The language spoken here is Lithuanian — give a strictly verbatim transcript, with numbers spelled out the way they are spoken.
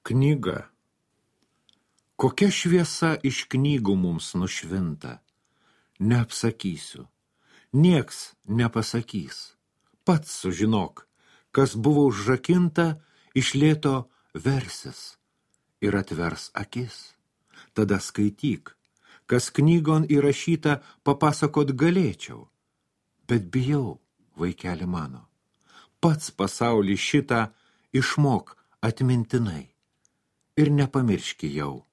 Knyga. Kokia šviesa iš knygų mums nušvinta, neapsakysiu, nieks nepasakys. Pats sužinok, kas buvo užrakinta, iš lėto versis ir atvers akis. Tada skaityk, kas knygon įrašyta, papasakot galėčiau. Bet bijau, vaikeli mano, pats pasaulį šitą išmok atmintinai. Ir nepamirški jau,